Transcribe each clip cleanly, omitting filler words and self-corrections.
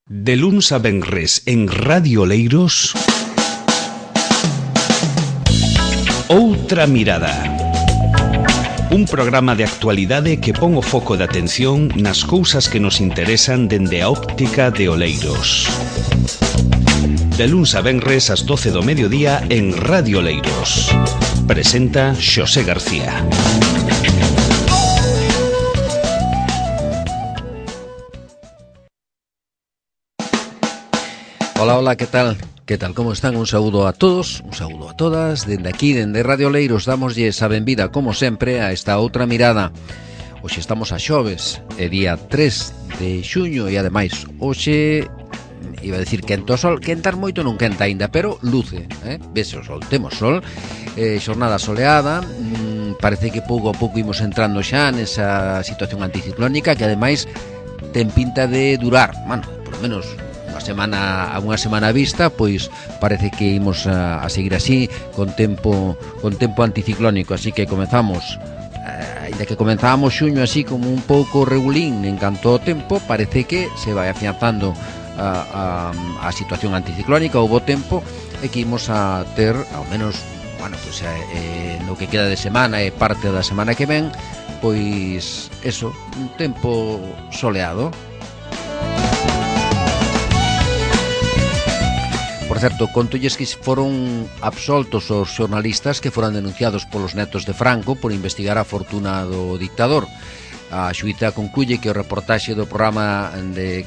De luns a venres en Radio Oleiros, Outra Mirada. Un programa de actualidade que pon o foco de atención nas cousas que nos interesan dende a óptica de Oleiros. De luns a venres ás 12 do mediodía en Radio Oleiros. Presenta Xosé García. Hola, hola, ¿qué tal? ¿Qué tal? ¿Cómo están? Un saúdo a todos, un saúdo a todas. Dende aquí, dende Radio Oleiros, damoslle a benvida, como sempre, a esta outra mirada. Hoxe estamos a xoves, é día 3 de xuño e, ademais, hoxe, iba a decir quenta o sol, quentar moito non quenta aínda, pero luce, vese o sol, temos sol, xornada soleada, parece que pouco a pouco imos entrando xa nesa situación anticiclónica que, ademais, ten pinta de durar, por lo menos a unha semana vista, pois parece que imos a seguir así con tempo anticiclónico, así que comezamos, ainda que comenzábamos xuño así como un pouco regulín en canto ao tempo, parece que se vai afianzando a situación anticiclónica, o bo tempo, e que imos a ter, ao menos, no que queda de semana e parte da semana que ven, pois eso, un tempo soleado. Por certo, contolles que foron absoltos os xornalistas que foran denunciados polos netos de Franco por investigar a fortuna do dictador. A xuíza concluye que o reportaxe do programa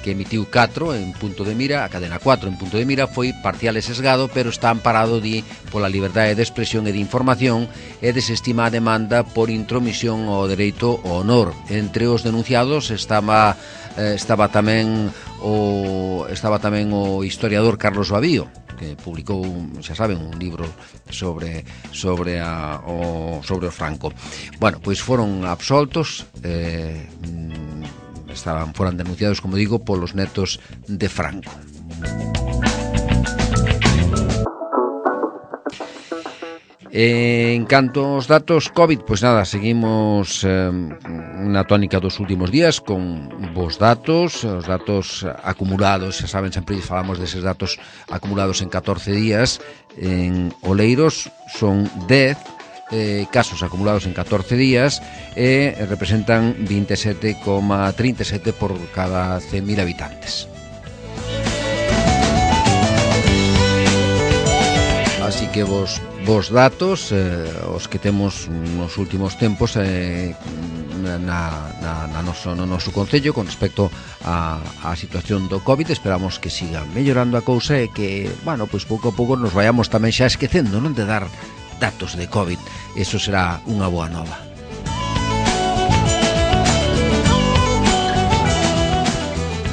que emitiu 4 en Punto de Mira, a cadena 4 en Punto de Mira, foi parcial e sesgado, pero está amparado pola liberdade de expresión e de información e desestima a demanda por intromisión ao dereito ao honor. Entre os denunciados estaba tamén o historiador Carlos Babío, que publicou, xa saben, un libro sobre o Franco. Bueno, pois foron absoltos, foran denunciados, como digo, polos netos de Franco. En canto aos datos COVID, pois nada, seguimos na tónica dos últimos días con bons datos, os datos acumulados, xa saben, sempre falamos deses datos acumulados en 14 días, en Oleiros son 10 casos acumulados en 14 días e representan 27,37 por cada 100.000 habitantes. Así que vos datos, os que temos nos últimos tempos no noso concello con respecto á situación do COVID. Esperamos que siga mellorando a cousa e que, pois pouco a pouco nos vayamos tamén xa esquecendo, non, de dar datos de COVID. Eso será unha boa nova.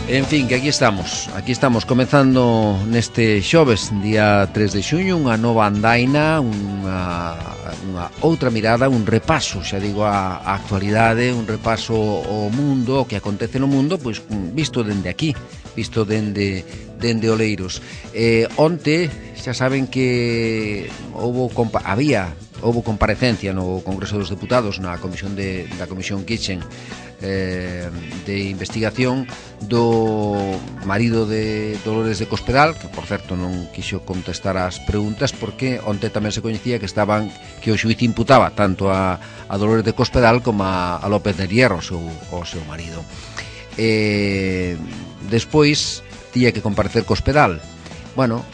En fin, que aquí estamos comezando neste xoves, día 3 de xuño, unha nova andaina, unha outra mirada, un repaso, xa digo, a actualidade, un repaso ao mundo, o que acontece no mundo, pois visto dende aquí, visto dende Oleiros. Onte, xa saben que houbo comparecencia no Congreso dos Deputados da Comisión Kitchen de investigación do marido de Dolores de Cospedal, que por certo non quixo contestar ás preguntas porque onte tamén se coñecía que o xuíz imputaba tanto a Dolores de Cospedal como a López de Hierro, o seu marido. Despois tiña que comparecer Cospedal.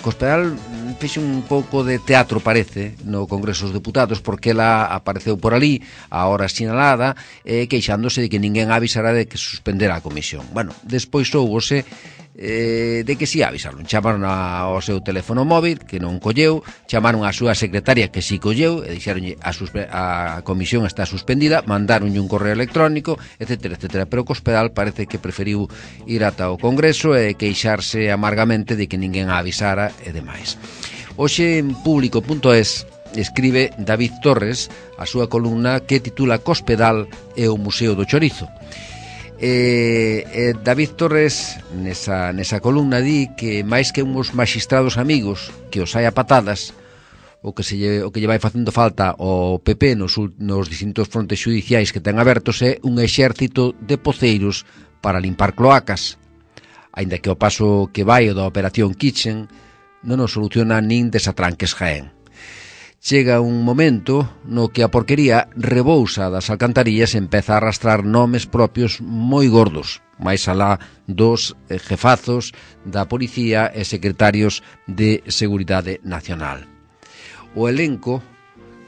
Cospedal fixe un pouco de teatro, parece, no Congreso dos Deputados, porque ela apareceu por ali a hora sinalada, queixándose de que ninguén avisara de que suspendera a comisión. Despois soubose de que si avisaron. Chamaron ao seu teléfono móvil, que non colleu, chamaron á súa secretaria, que si colleu, e dixeronlle a comisión está suspendida, mandaronlle un correo electrónico, etcétera, etcétera. Pero Cospedal parece que preferiu ir ata o Congreso e queixarse amargamente de que ninguén a avisara e demais. Hoxe en Público.es escribe David Torres a súa columna que titula Cospedal e o Museo do Chorizo. David Torres nesa columna di que máis que uns maxistrados amigos que os hai a patadas, o que lle vai facendo falta ao PP nos distintos frontes xudiciais que ten abertos é un exército de poceiros para limpar cloacas. aínda que ao paso que vai o da Operación Kitchen non nos soluciona nin desatranques Jaén. Chega un momento no que a porquería rebousa das alcantarillas e empeza a arrastrar nomes propios moi gordos, máis alá dos jefazos da policía e secretarios de Seguridade Nacional. O elenco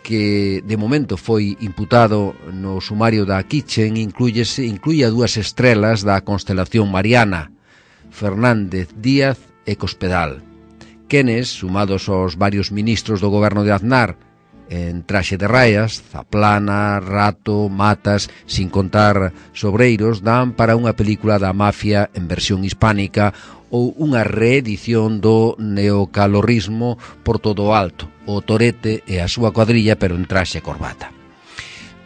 que de momento foi imputado no sumario da Kitchen incluye a 2 estrelas da constelación mariana, Fernández Díaz e Cospedal, quenes, sumados aos varios ministros do goberno de Aznar, en traxe de raias, Zaplana, Rato, Matas, sin contar Sobreiros, dan para unha película da mafia en versión hispánica ou unha reedición do neocalorrismo por todo o alto, o Torete e a súa cuadrilla, pero en traxe e corbata.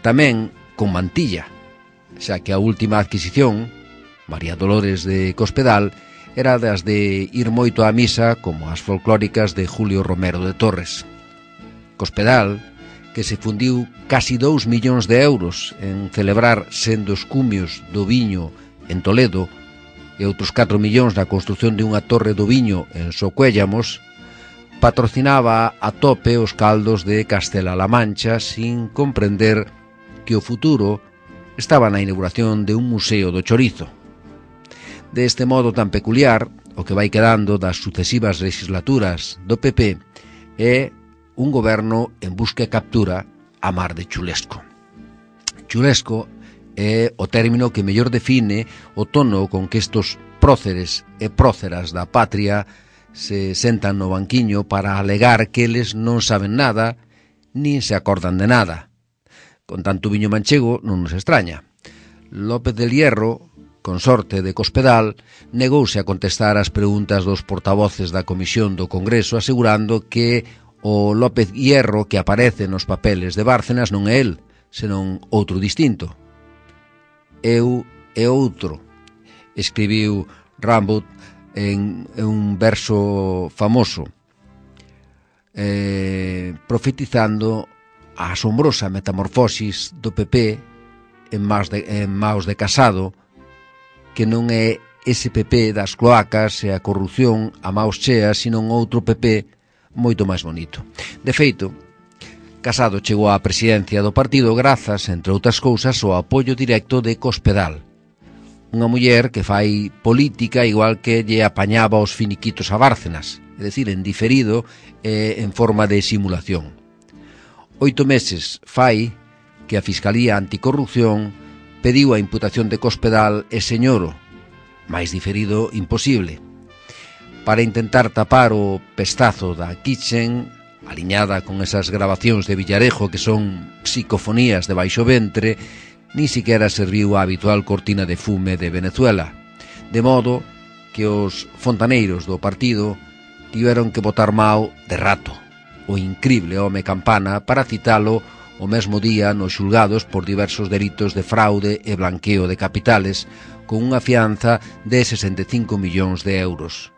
Tamén con mantilla, xa que a última adquisición, María Dolores de Cospedal, era das de ir moito á misa como as folclóricas de Julio Romero de Torres. Cospedal, que se fundiu casi 2 millóns de euros en celebrar sendo os cumios do viño en Toledo e outros 4 millóns na construción de unha torre do viño en Socuéllamos, patrocinaba a tope os caldos de Castela-La Mancha sin comprender que o futuro estaba na inauguración de un museo do chorizo. De este modo tan peculiar, o que vai quedando das sucesivas legislaturas do PP é un goberno en busca e captura a mar de chulesco. Chulesco é o término que mellor define o tono con que estos próceres e próceras da patria se sentan no banquiño para alegar que eles non saben nada nin se acordan de nada. Con tanto viño manchego non nos extraña. López del Hierro, consorte de Cospedal, negouse a contestar as preguntas dos portavoces da Comisión do Congreso, asegurando que o López Hierro que aparece nos papeles de Bárcenas non é el, senón outro distinto. Eu e outro, escribiu Rimbaud en un verso famoso, profetizando a asombrosa metamorfosis do PP en maos de Casado, que non é ese PP das cloacas e a corrupción a maos cheas, sino outro PP moito máis bonito. De feito, Casado chegou á presidencia do partido grazas, entre outras cousas, ao apoio directo de Cospedal, unha muller que fai política igual que lle apañaba os finiquitos a Bárcenas, é dicir, en diferido e en forma de simulación. 8 meses fai que a Fiscalía Anticorrupción pediu a imputación de Cospedal e Señoro, máis diferido imposible, para intentar tapar o pestazo da Kitchen, aliñada con esas grabacións de Villarejo que son psicofonías de baixo ventre, ni siquiera serviu a habitual cortina de fume de Venezuela, de modo que os fontaneiros do partido tiveron que botar Mao de Rato, o incrible home campana, para citalo o mesmo día nos xulgados por diversos delitos de fraude e blanqueo de capitales, con unha fianza de 65 millóns de euros.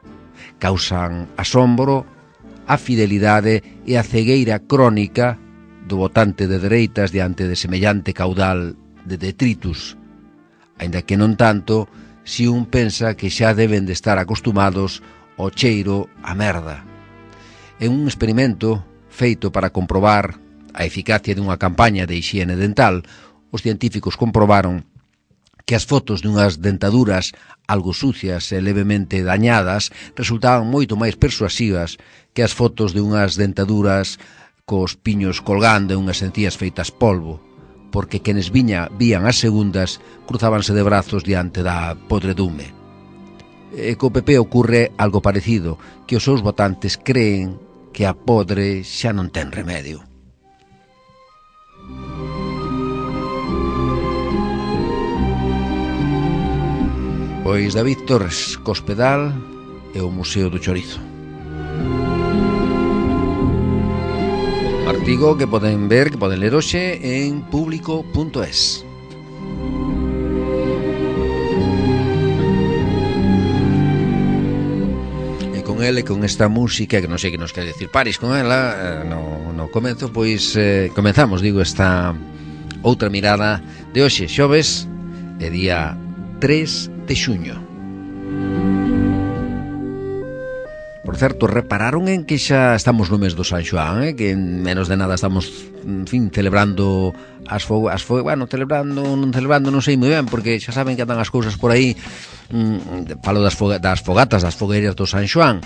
Causan asombro a fidelidade e a cegueira crónica do votante de dereitas diante de semellante caudal de detritus, aínda que non tanto se un pensa que xa deben de estar acostumados ao cheiro a merda. En un experimento feito para comprobar a eficacia dunha campaña de hixiene dental, os científicos comprobaron que as fotos dunhas dentaduras algo sucias e levemente dañadas resultaban moito máis persuasivas que as fotos de unhas dentaduras cos piños colgando e unhas encías feitas polvo, porque quenes vían as segundas cruzábanse de brazos diante da podredume. E co PP ocurre algo parecido, que os seus votantes creen que a podre xa non ten remedio. Pois David Torres, Cospedal e o Museo do Chorizo. Artigo que poden ver, que poden ler hoxe en público.es. E con ele, con esta música, que non sei que nos quer decir Paris con ela, no comenzo, pois comenzamos, digo, esta outra mirada de hoxe, xoves, e día 3 de xuño. certo, repararon en que xa estamos no mes do San Xoán, que en menos de nada estamos, en fin, celebrando bueno, celebrando, non sei moi ben, porque xa saben que andan as cousas por aí. Falo das fogatas, das fogueiras do San Xoán.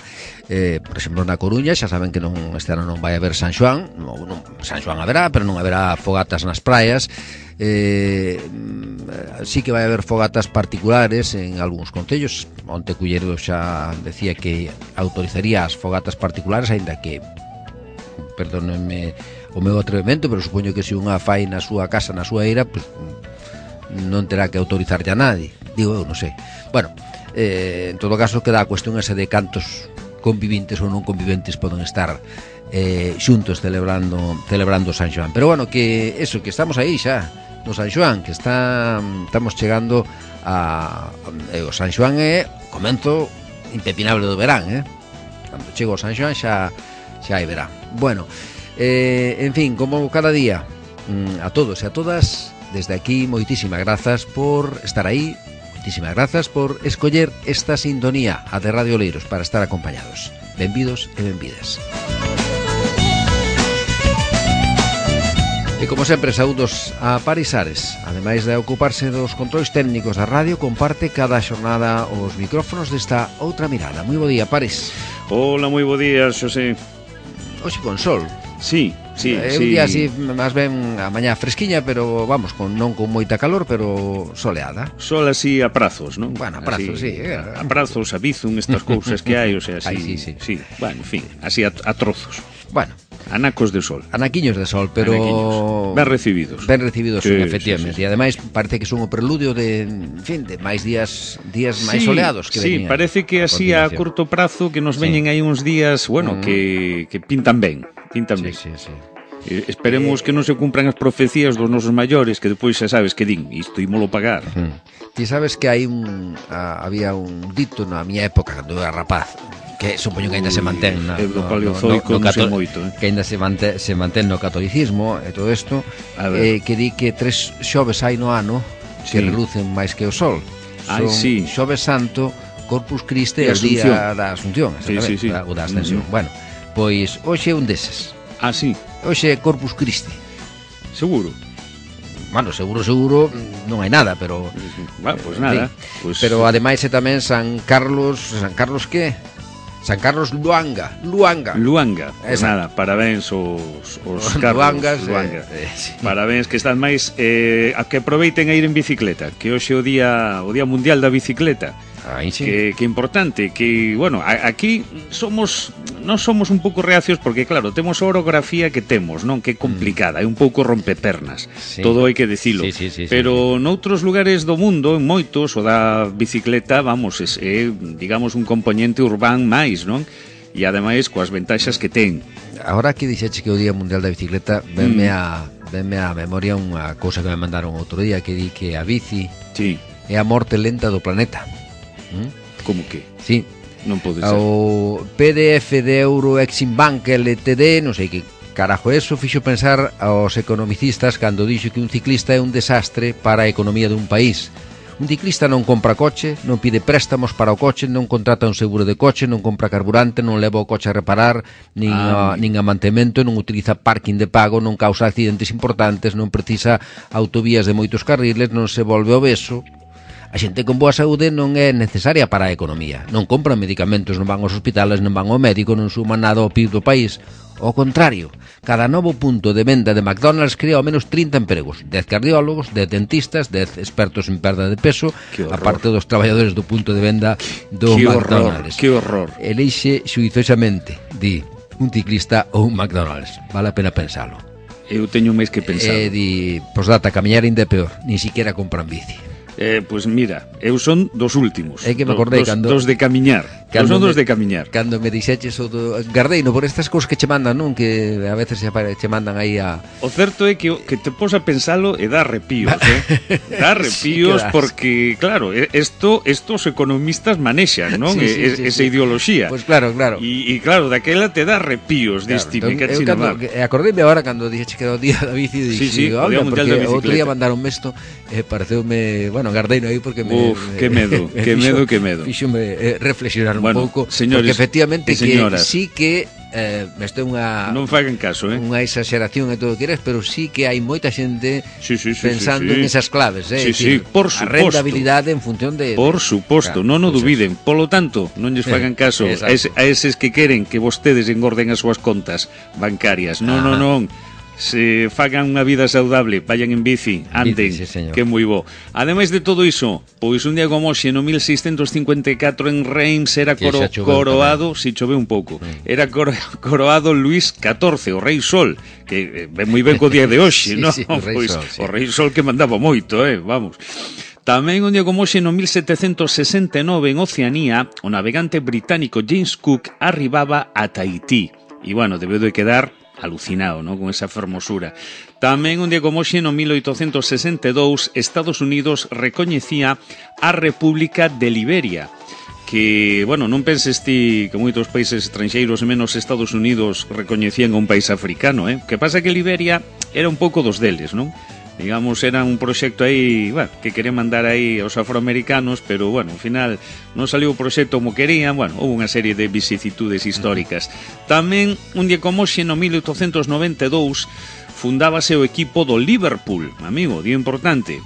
Por exemplo, na Coruña xa saben que este ano non vai haber San Xoán. San Xoán haberá, pero non haberá fogatas nas praias. Sí que vai haber fogatas particulares en algúns concellos. Onte Culleredo xa decía que autorizaría as fogatas particulares, aínda que, perdónenme o meu atrevemento, pero supoño que se unha fai na súa casa, na súa eira, pues, non terá que autorizarlle a nadie. Digo eu, non sei. Bueno, en todo caso queda a cuestión ese de cantos conviventes ou non conviventes poden estar xuntos celebrando San Xoán. Pero bueno, que eso, que estamos aí xa no San Xoán, que estamos chegando a o San Xoán é comenzo impepinable do verán, cando chego ao San Xoán xa hai verán. Bueno, en fin, como cada día, a todos e a todas, desde aquí, moitísimas grazas por estar aí, moitísimas grazas por escoller esta sintonía, a de Radio Oleiros, para estar acompañados. Benvidos e benvidas. E como sempre, saúdos a Paris Ares. Ademais de ocuparse dos controis técnicos da radio, comparte cada xornada os micrófonos desta outra mirada. Moi bo día, Paris. Hola, moi bo día, Xosé. Hoxe con sol. Sí. Un día así, máis ben a mañá fresquiña, pero vamos, non con moita calor, pero soleada. Sol así a prazos, non? Bueno, a prazos, así, sí. A prazos, a bizun, estas cousas que hai, o sea, así. Sí. Bueno, en fin, así a trozos. Bueno, anacos de sol. Anaquiños de sol, pero ben recibidos. Sí, efectivamente. E ademais parece que son o preludio de, en fin, de máis días máis soleados que veñen. Sí, parece que así a curto prazo que nos veñen aí uns días, bueno, que pintan ben. Sí. Esperemos que non se cumpran as profecías dos nosos maiores, que depois xa sabes que din, isto ímolo pagar. Ti sabes que había un dito na miña época, cando era rapaz, que supoño que ainda se mantén do paleozoico, non sei moito, que ainda se mantén no catolicismo e todo isto, que di que 3 xoves hai no ano que relucen máis que o sol. Son Xoves Santo, Corpus Christi e o día da Asunción, o da Ascensión. Bueno, pois hoxe é un deses. Sí. Hoxe é Corpus Christi. Seguro? Bueno, seguro non hai nada, pero bueno, pois nada. Pues... Pero ademais é tamén San Carlos que? San Carlos Luanga. Pues nada, parabéns os Carlos Luanga. Sí. Parabéns, que están máis a que aproveiten a ir en bicicleta, que hoxe é o día mundial da bicicleta. Sí. Que importante, que, bueno, aquí non somos un pouco reacios porque, claro, temos a orografía que temos, non? Que é complicada, é un pouco rompepernas, todo hai que dicilo. Sí. Pero noutros lugares do mundo, en moitos, o da bicicleta, vamos, é, digamos, un componente urbán máis, non? E ademais coas ventaxas que ten. Agora que dixeche que o Día Mundial da Bicicleta, venme a memoria unha cousa que me mandaron outro día, que di que a bici é a morte lenta do planeta. Como que? Sí. Non pode ser. O PDF de Euro Exim Bank LTD, non sei que carajo eso, fixo pensar aos economicistas cando dixo que un ciclista é un desastre para a economía dun país. Un ciclista non compra coche, non pide préstamos para o coche, non contrata un seguro de coche, non compra carburante, non leva o coche a reparar, nin a mantemento, non utiliza parking de pago, non causa accidentes importantes, non precisa autovías de moitos carriles, non se volve obeso. A xente con boa saúde non é necesaria para a economía. Non compran medicamentos, non van aos hospitales, non van ao médico, non suman nada ao PIB do país. Ao contrario, cada novo punto de venda de McDonald's crea ao menos 30 empregos. 10 cardiólogos, 10 dentistas, 10 expertos en perda de peso, aparte dos traballadores do punto de venda do McDonald's. Que horror. Elixe xuizosamente, di, un ciclista ou un McDonald's. Vale a pena pensalo. Eu teño máis que pensar. Di, posdata, camiñar ainda é peor, ni siquiera compran bici. Pois mira, eu son dos últimos. É que me acordei dos de camiñar. Son dos de camiñar. Cando me dixeches o do Gardeino, por estas cousas que che mandan, non? Que a veces che mandan aí a... O certo é que te pos a pensalo e dá arrepíos, Dá arrepíos sí, porque, claro, isto os economistas manexan, non? Esa ideoloxía. Pois claro. E claro, daquela te dá arrepíos, diste, me cachina mal. Acordeime agora cando dixeche que era o día da bici, sí, o Día Mundial da Bicicleta. Outro día mandaron isto, pareceume, bueno, Gardeino aí porque que medo. Fíxome reflexionar un pouco, señores, porque efectivamente que sí que isto é non fagan caso, unha exageración e todo o que queres, pero sí que hai moita xente pensando en esas claves, por suposto. A rentabilidade en función de... Por suposto, non o dubiden. Polo tanto, non lles fagan caso a eses que queren que vostedes engorden as súas contas bancarias. Non. Se fagan unha vida saudable, vayan en bici, anden, que é moi bo. Ademais de todo iso, pois un día como hoxe, no 1654 en Reims era coroado, si choveu un pouco, era coroado Luís XIV, o Rei Sol, que ven moi ben co día de hoxe, non? Pois o Rei Sol que mandaba moito, vamos. Tamén un día como hoxe, no 1769, en Oceanía, o navegante británico James Cook arribaba a Tahití. E, bueno, debeu de quedar alucinado, ¿no?, con esa fermosura. Tamén un día como hoxe, no 1862, Estados Unidos recoñecía a República de Liberia, que, bueno, non penses ti que moitos países estranxeiros, menos Estados Unidos, recoñecían a un país africano, que pasa que Liberia era un pouco dos deles, non? Digamos, era un proxecto aí, bueno, que querían mandar aí aos afroamericanos, pero, bueno, ao final non saliu o proxecto como querían, bueno, houve unha serie de vicisitudes históricas. Tamén, un día como hoxe, no 1892, fundábase o equipo do Liverpool, amigo, día importante.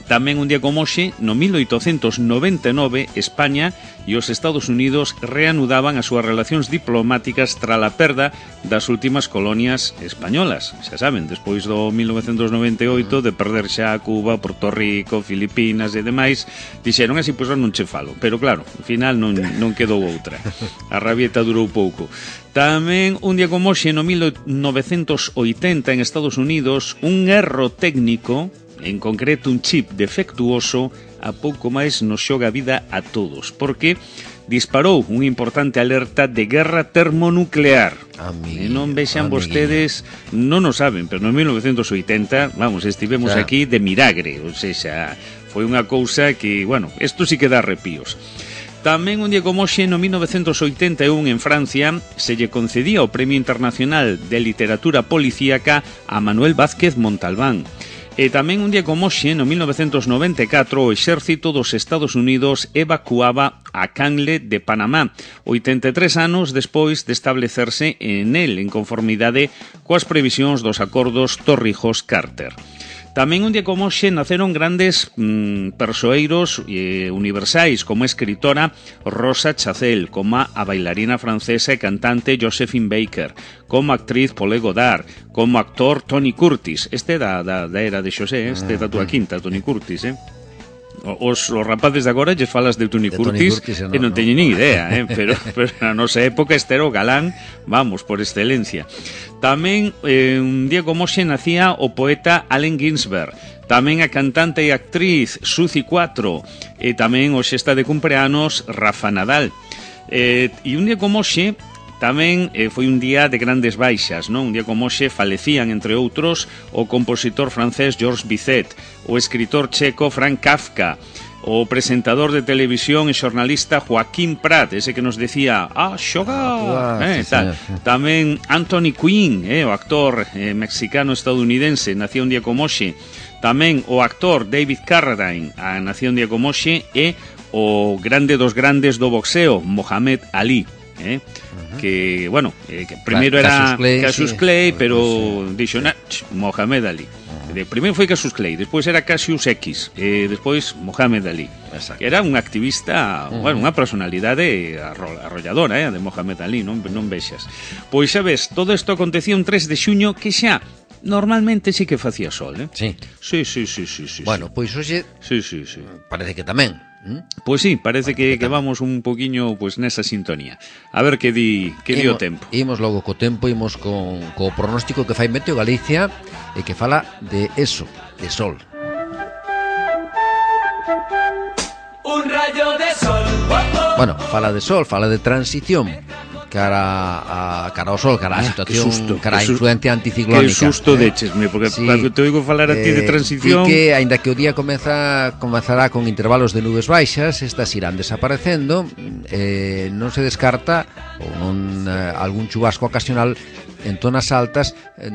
Tamén un día como hoxe, no 1899, España e os Estados Unidos reanudaban as súas relacións diplomáticas tras a perda das últimas colonias españolas. Xa saben, despois do 1998, de perder xa Cuba, Porto Rico, Filipinas e demais, dixeron así, pois non che falo. Pero claro, ao final non quedou outra. A rabieta durou pouco. Tamén un día como hoxe, no 1980, en Estados Unidos, un erro técnico, en concreto un chip defectuoso, a pouco máis nos xoga a vida a todos, porque disparou unha importante alerta de guerra termonuclear. E non vexan vostedes, non o saben, pero no 1980, vamos, estivemos aquí de milagre, ou seja, foi unha cousa que, bueno, isto sí que dá arrepíos. Tamén un día como hoxe, no 1981, en Francia, se lle concedía o Premio Internacional de Literatura Policíaca a Manuel Vázquez Montalbán. E tamén un día como hoxe, no 1994, o exército dos Estados Unidos evacuaba a Canle de Panamá, 83 anos despois de establecerse en el, en conformidade coas previsións dos acordos Torrijos-Carter. Tamén un día como hoxe naceron grandes persoeiros universais, como a escritora Rosa Chazelle, como a bailarina francesa e cantante Josephine Baker, como a actriz Paulette Goddard, como actor Tony Curtis. Este da era de Xosé, este da túa quinta, Tony Curtis, Os rapaces de agora lles falas de Tony Curtis e non teñen ni idea, pero na nosa época este era o galán, vamos, por excelencia. Tamén un día como hoxe nacía o poeta Allen Ginsberg, tamén a cantante e actriz Suzy 4, e tamén hoxe está de cumpleanos Rafa Nadal. E un día como hoxe tamén foi un día de grandes baixas, non? Un día como hoxe falecían, entre outros, o compositor francés Georges Bizet, o escritor checo Franz Kafka, o presentador de televisión e xornalista Joaquín Prat, ese que nos decía xogar, tal. Tamén Anthony Quinn, o actor mexicano-estadounidense, nacía un día como hoxe. Tamén o actor David Carradine, nacía un día como hoxe, e o grande dos grandes do boxeo, Mohamed Ali, que, bueno, que primeiro era Cassius Clay, pero dixo, Mohamed Ali. Primeiro foi Cassius Clay, despois era Cassius X, e despois Mohamed Ali. Que era un activista, bueno, unha personalidade arrolladora, de Mohamed Ali, non vexas. Pois, sabes, todo isto acontecía un 3 de xuño que xa normalmente sí que facía sol, Sí. Sí. Bueno, pois hoxe parece que tamén. Pois sí, parece que vamos un poquinho pues nesa sintonía. A ver que di o tempo. Imos logo co tempo, imos co pronóstico que fai Meteo Galicia e que fala de eso, de sol. Un rayo de sol. Bueno, fala de sol, fala de transición cara ao sol, cara a situación, cara a influencia anticiclónica. Que susto dechesme, porque te oigo falar a ti de transición. E que, aínda que o día comezará con intervalos de nubes baixas, estas irán desaparecendo, non se descarta ou non algún chubasco ocasional en zonas altas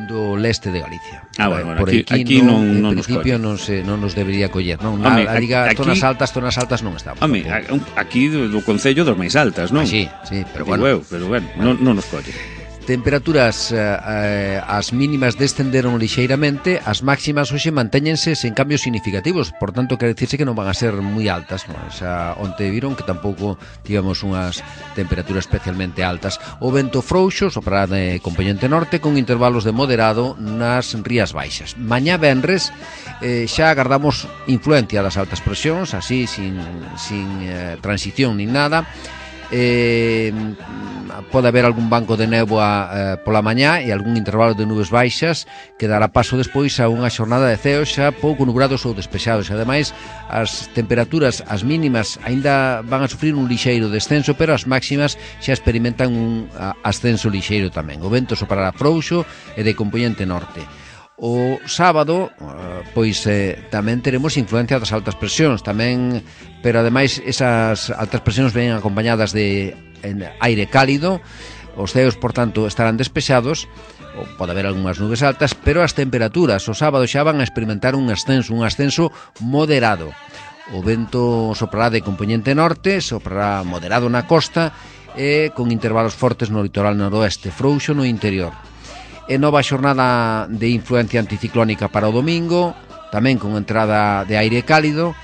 do leste de Galicia. Bueno, por aquí non en nos principio colle. non nos debería coller, non? Home, Diga aquí, zonas altas non estamos. Home, aquí do concello dos máis altas, non? Sí, pero bueno. Pero bueno, non nos colle. Temperaturas as mínimas descenderon lixeiramente, as máximas hoxe mantéñense sen cambios significativos, por tanto quere dicirse que non van a ser moi altas, non? Onte viron que tampouco tivemos unhas temperaturas especialmente altas. O vento frouxo soprará de componente norte con intervalos de moderado nas rías baixas. Mañá venres xa agardamos influencia das altas presións, así sin transición nin nada. Pode haber algún banco de néboa pola mañá e algún intervalo de nubes baixas que dará paso despois a unha xornada de ceos xa pouco nubrados ou despexados. Ademais, as temperaturas, as mínimas aínda van a sufrir un lixeiro descenso, pero as máximas xa experimentan un ascenso lixeiro tamén. O vento soprará frouxo e de componente norte. O sábado, pois tamén teremos influencia das altas presións tamén, pero ademais esas altas presións ven acompañadas de aire cálido. Os ceos, por tanto, estarán despexados, ou pode haber algunhas nubes altas, pero as temperaturas o sábado xa van a experimentar un ascenso moderado. O vento soprará de componente norte, soprará moderado na costa e con intervalos fortes no litoral noroeste, frouxo no interior. E nova xornada de influencia anticiclónica para o domingo, tamén con entrada de aire cálido,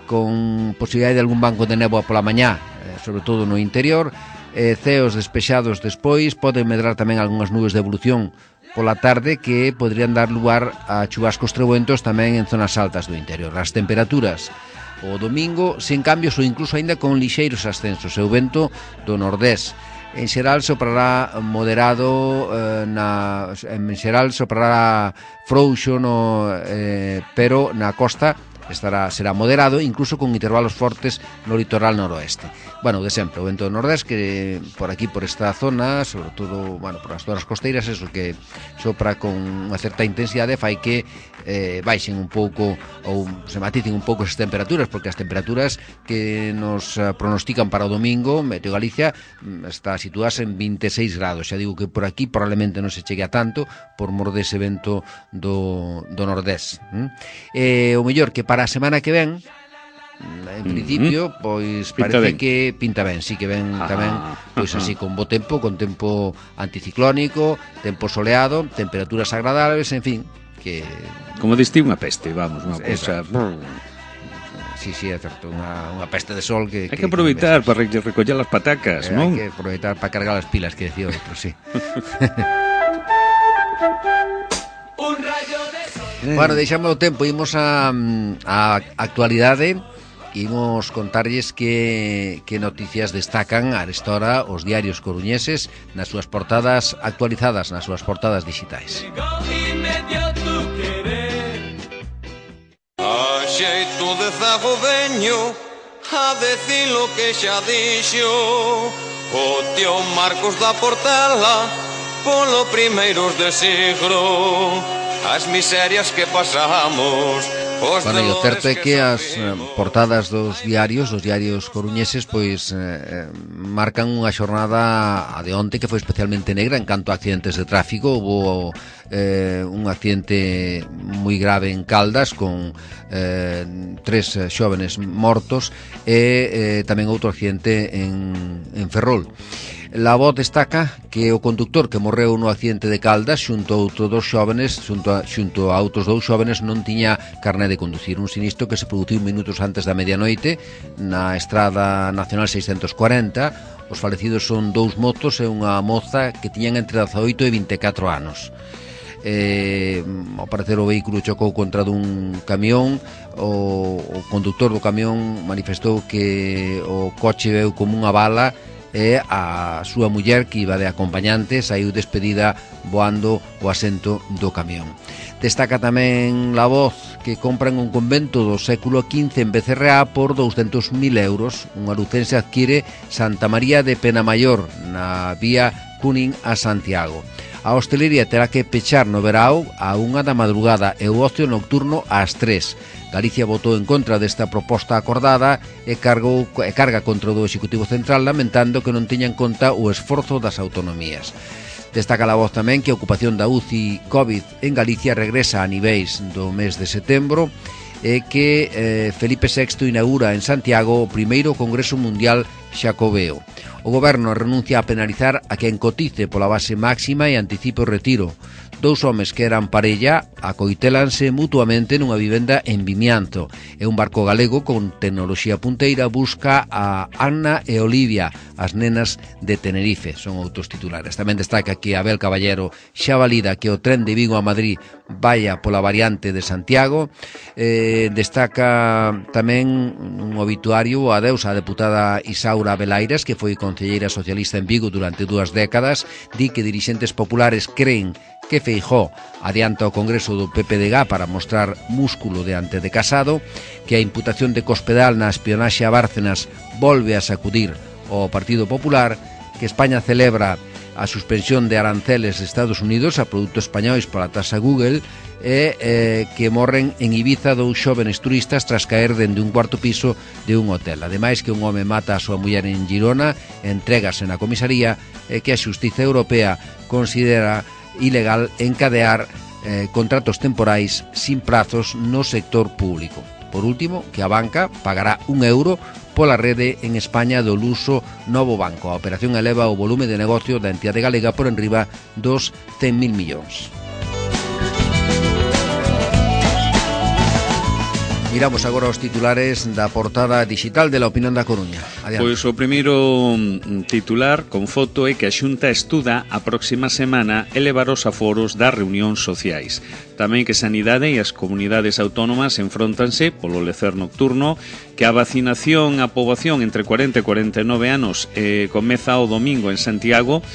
con posibilidade de algún banco de néboa pola mañá, sobre todo no interior, ceos despexados despois, poden medrar tamén algunhas nubes de evolución pola tarde que podrían dar lugar a chubascos trebuentos tamén en zonas altas do interior. As temperaturas o domingo sen cambios ou incluso aínda con lixeiros ascensos, e o vento do nordés. En xeral soprará moderado, en xeral soprará frouxo, pero na costa será moderado, incluso con intervalos fortes no litoral noroeste. Bueno, de sempre, o vento do nordés que por aquí, por esta zona, sobre todo, por as zonas costeiras, eso que sopra con unha certa intensidade, fai que baixen un pouco ou se maticen un pouco esas temperaturas, porque as temperaturas que nos pronostican para o domingo, Meteo Galicia está situadas en 26 grados. Xa digo que por aquí probablemente non se chegue a tanto por mor dese vento do nordés. O mellor que para a semana que ven, en principio, pois parece que pinta ben, sí que ven tamén, pois así con bo tempo, con tempo anticiclónico, tempo soleado, temperaturas agradables, en fin, que como diste unha peste, vamos, unha cousa. Sí, é certo, unha peste de sol que hai que aproveitar para recoller as patacas, non? Hai que aproveitar para cargar as pilas, que decía outro, sí. Bueno, deixamos o tempo, imos a actualidade. Imos contarlles que noticias destacan a esta hora os diarios coruñeses nas súas portadas actualizadas, nas súas portadas digitais. A xeito de zago veño a decir lo que xa dixo o tío Marcos da Portela polo primeiros de siglo, as miserias que pasamos. Bueno, e o certo é que as portadas dos diarios coruñeses, pois marcan unha xornada a de onte que foi especialmente negra en canto a accidentes de tráfico. Houbo un accidente moi grave en Caldas con 3 xóvenes mortos e tamén outro accidente en Ferrol. La Voz destaca que o conductor que morreu no accidente de Caldas xunto a outros dous xóvenes non tiña carné de conducir. Un sinistro que se produciu minutos antes da medianoite na Estrada Nacional 640. Os falecidos son 2 motos e unha moza que tiñan entre 18 e 24 anos. Ao parecer o vehículo chocou contra dun camión. O conductor do camión manifestou que o coche veu como unha bala e a súa muller, que iba de acompañante, saiu despedida voando o asento do camión. Destaca tamén La Voz que compran un convento do século XV en Becerreá por 200.000 euros. Unha lucense adquire Santa María de Penamayor na vía Cunin a Santiago. A hostelería terá que pechar no verao a 1 da madrugada e o ocio nocturno ás 3. Galicia votou en contra desta proposta acordada e carga contra o do Executivo Central, lamentando que non teña en conta o esforzo das autonomías. Destaca a voz tamén que a ocupación da UCI COVID en Galicia regresa a niveis do mes de setembro e que Felipe VI inaugura en Santiago o primeiro Congreso Mundial Xacobeo. O goberno renuncia a penalizar a quen cotice pola base máxima e anticipe o retiro. Dous homes que eran parella acoitelanse mutuamente nunha vivenda en Vimianzo. E un barco galego con tecnoloxía punteira busca a Anna e Olivia, as nenas de Tenerife. Son outros titulares. Tamén destaca que Abel Caballero xa valida que o tren de Vigo a Madrid vaya pola variante de Santiago. Destaca tamén un obituario a adeus á deputada Isaura Belaires, que foi concelleira socialista en Vigo durante 2 décadas. Di que dirixentes populares creen que Feijóo adianta o Congreso do PPDG para mostrar músculo diante de Casado, que a imputación de Cospedal na espionaxe a Bárcenas volve a sacudir o Partido Popular, que España celebra a suspensión de aranceles de Estados Unidos a produtos españois pola taxa Google e que morren en Ibiza 2 xóvenes turistas tras caer dende un cuarto piso de un hotel. Ademais que un home mata a súa muller en Girona, entregase na comisaría e que a Xustiza Europea considera ilegal encadear contratos temporais sin prazos no sector público. Por último, que a banca pagará €1 pola rede en España do Luso Novo Banco. A operación eleva o volume de negocio da entidade galega por enriba dos 100.000 millóns. Miramos agora os titulares da portada digital de La Opinión da Coruña. Adiante. Pois o primeiro titular con foto é que a Xunta estuda a próxima semana elevar os aforos das reunións sociais. Tamén que Sanidade e as comunidades autónomas enfróntanse polo lecer nocturno, que a vacinación á poboación entre 40 e 49 anos comeza o domingo en Santiago.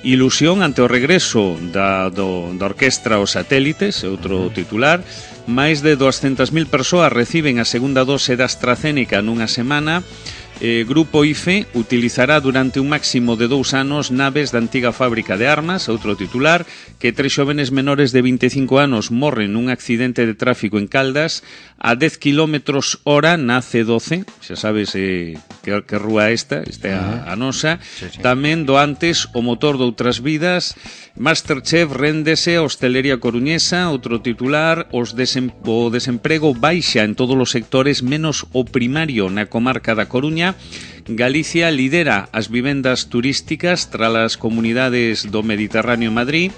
Ilusión ante o regreso da orquestra Os Satélites, outro titular. Máis de 200.000 persoas reciben a segunda dose da AstraZeneca nunha semana. Grupo IFE utilizará durante un máximo de 2 anos naves da antiga fábrica de armas, outro titular, que 3 xóvenes menores de 25 anos morren nun accidente de tráfico en Caldas a 10 km/h na C12, xa sabes que rúa esta é a nosa. Sí. Tamén do antes o motor de outras vidas. Masterchef réndese a hostelería coruñesa, outro titular, o desemprego baixa en todos os sectores menos o primario na comarca da Coruña. Galicia lidera as vivendas turísticas tras as comunidades do Mediterráneo en Madrid.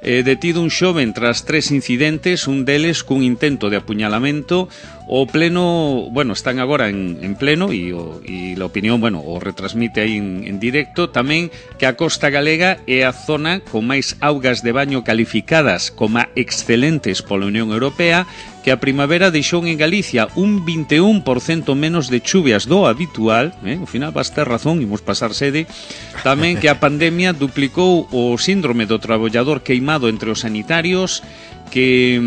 Detido un xoven tras 3 incidentes, un deles cun intento de apuñalamento. O pleno, están agora en pleno e a opinión, o retransmite aí en directo. Tamén que a costa galega é a zona con máis augas de baño calificadas como excelentes pola Unión Europea, que a primavera deixou en Galicia un 21% menos de chuvias do habitual. Ao final vas ter razón, imos pasar sede. Tamén que a pandemia duplicou o síndrome do traballador queimado entre os sanitarios, que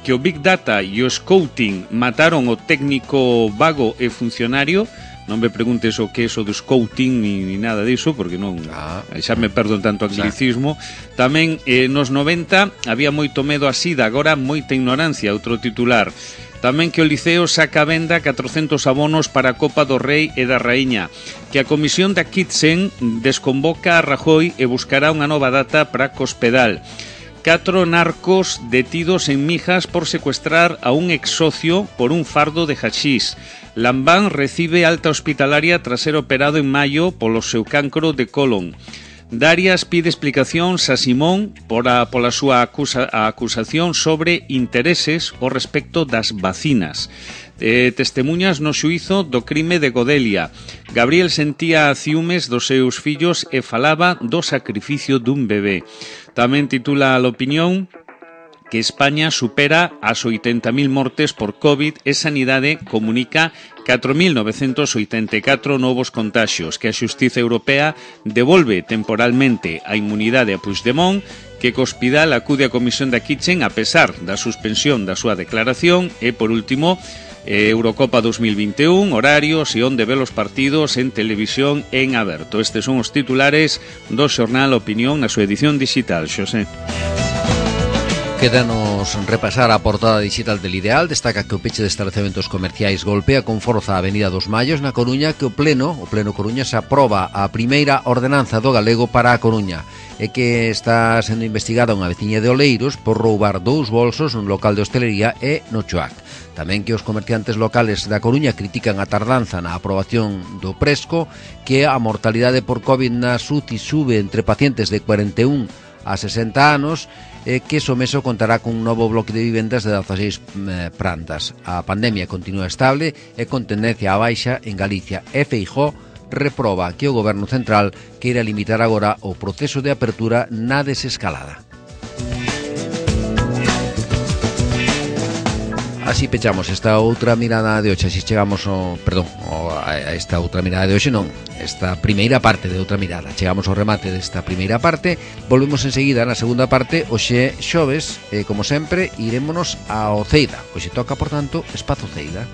o Big Data e o Scouting mataron o técnico vago e funcionario. Non me preguntes o que é o do Scouting ni nada diso, porque non xa me perdo en tanto anglicismo. Tamén nos 90 había moito medo a sida, agora moita ignorancia, outro titular. Tamén que o Liceo saca a venda 400 abonos para a Copa do Rei e da Raíña, que a comisión da Kitsen desconvoca a Rajoy e buscará unha nova data para Cospedal. 4 narcos detidos en Mijas por secuestrar a un exsocio por un fardo de hachís. Lambán recibe alta hospitalaria tras ser operado en maio polo seu cancro de colon. Darias pide explicacións a Simón pola súa acusación sobre intereses ao respecto das vacinas. Testemuñas no xuízo do crime de Godelia. Gabriel sentía ciúmes dos seus fillos e falaba do sacrificio dun bebé. Tamén titula a La Opinión que España supera as 80.000 mortes por COVID e Sanidade comunica 4.984 novos contaxios, que a Xustiza Europea devolve temporalmente a inmunidade a Puigdemont, que Cospedal acude a comisión da Kitchen a pesar da suspensión da súa declaración e, por último, Eurocopa 2021, horarios e onde ve os partidos en televisión en aberto. Estes son os titulares do xornal Opinión na súa edición digital, Xosé. Quédanos repasar a portada digital del Ideal. Destaca que o peche de establecementos comerciais golpea con forza a Avenida dos Mallos na Coruña, que o Pleno Coruña se aproba a primeira ordenanza do galego para a Coruña e que está sendo investigada unha veciña de Oleiros por roubar 2 bolsos nun local de hostelería e no Choac. Tamén que os comerciantes locales da Coruña critican a tardanza na aprobación do Presco, que a mortalidade por COVID na UCI sube entre pacientes de 41 a 60 anos, que Someso contará cun novo bloque de vivendas de 16 plantas. A pandemia continúa estable e con tendencia á baixa en Galicia, e Feijóo reproba que o Goberno Central queira limitar agora o proceso de apertura na desescalada. Así pechamos esta outra mirada de hoxe. Así chegamos a esta outra mirada de hoxe, non, esta primeira parte de outra mirada. Chegamos ao remate desta primeira parte. Volvemos enseguida na segunda parte. Hoxe xoves, como sempre, irémonos ao Ceida. Hoxe toca, por tanto, Espazo Ceida.